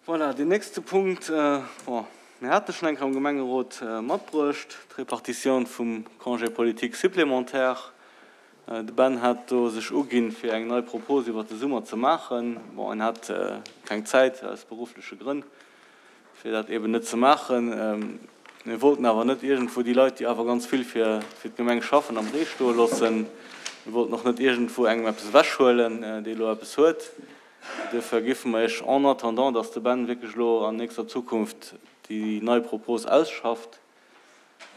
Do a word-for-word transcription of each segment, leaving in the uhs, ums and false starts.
Voilà, deen nächste Punkt, bon, mir hate schonn eng Kéier am Gemengerot matbruecht, d'Repartitioun vum Congé politique supplémentaire. De Ben hat do sech uginn, fir eng nei Propos iwwert de Summer ze maachen. Bon, en hat keng Zäit aus beruffleche Grënn, fir dat eeben net ze maachen. Mir wollten awer net iergendwou déi Leit, déi awer ganz vill fir d'Gemeng schaffen, am Ree stoe loossen. Mir wollten och net iergendwou engem eppes ewechhuelen, dee elo eppes huet. Duerfir géife mer Iech, en attendant dass de Ben wierklech elo an nächster Zukunft déi nei Propos ausschafft,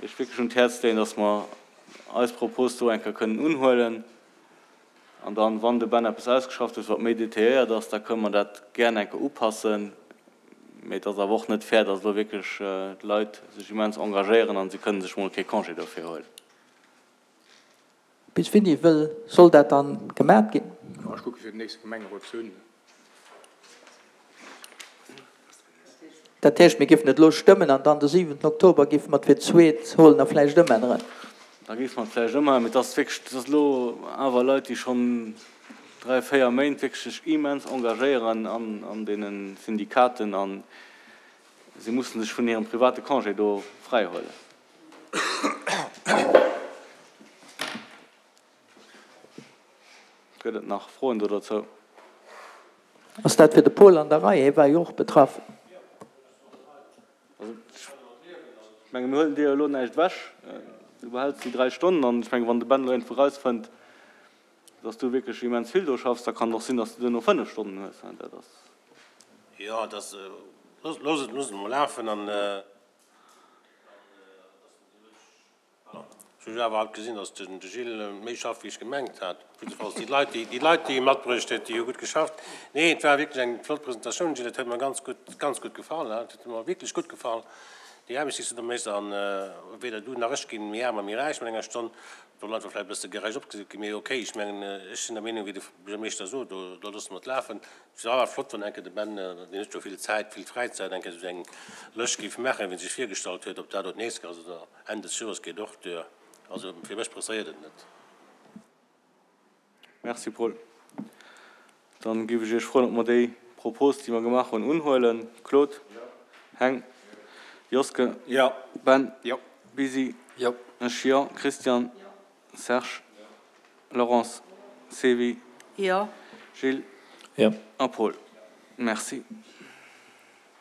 Iech wierklech un d'Häerz leeën, dass mer eis Propos do eng Kéier kënnen unhuelen. An dann, wann de Ben eppes ausgeschafft huet, wat méi detailléiert ass, da kënnen mer dat gären eng Kéier upassen. Mee et ass awer och net fair, dass elo wierklech d'Leit sech immens engagéieren a se kënnen sech mol kee Congé dofir huelen. Bis wéini wëll soll dat dann gemat ginn? Jo, ech kucke fir den nächste Gemengerot ze hunn. Dat heescht, mir géifen et elo stëmmen an dann de siwenten Oktober géife mer et fir d'zweet huelen a vläicht ëmänneren. Da géife mer et vläicht ëmänneren. Mee et ass wierklech, et ass elo awer Leit, déi schonn dräi, véier Méint wierklech sech immens engagéieren an deene Syndikaten a si musse sech vun hirem private Congé do fräihuelen. Gëtt et nach Froen do dozou? Ass dat fir de Paul an der Rei? Hie war jo och betraff. Also, ech menge mir huelen dir jo elo näischt ewech. Du behäls déi dräi Stonnen an ech menge wann de Ben elo iergendwou erausfënnt, dass du wierklech immens vill do schaffs, da kann et och sinn, dass du duerno fënnef Stonnen hues. Dat ass. Jo, et ass, looss et, looss et emol lafen an. Ech hunn awer alt gesinn, datt de Gilles méi schafft, wéi ech gemengt hat. Jiddefalls déi Leit, déi Leit, déi e matbruecht huet, déi hu gutt geschafft. Nee, et war wierklech eng flott Presentatioun, Gilles. Et huet mer ganz gutt, ganz gutt gefall. Et huet mer wierklech gutt gefall, déi Aarbecht, déi s du do méchs. A weder du nach ech ginn méi aarm a méi räich mat enger Stonn. Do leit mer vläicht e bësse gerecht opgesot ginn, mee okay, ech mengen, ech sinn der Meenung, wéi de Buergermeeschter sot, do, do loosse mer et lafen. Et wier awer flott, wann eng Kéier de Ben, deen huet jo vill Zäit, vill Fräizäit, eng Kéier esou eng Lëscht géif maachen, wéi en sech virgestallt huet, ob dat elo d'nächst Kéier ass oder Enn des Joers geet och duer. Also fir mech presséiert et net. Merci Paul. Dann géif ech Iech froen, ob mer déi Propos, déi mer gemaach hunn, unhuelen. Claude? Heng? Joske? Jo. Ben? Jo. Bisi? Jo. Ech jo. Christian? Serge? Laurence? Sevi? Jo. Gilles? Jo. A Paul? Merci.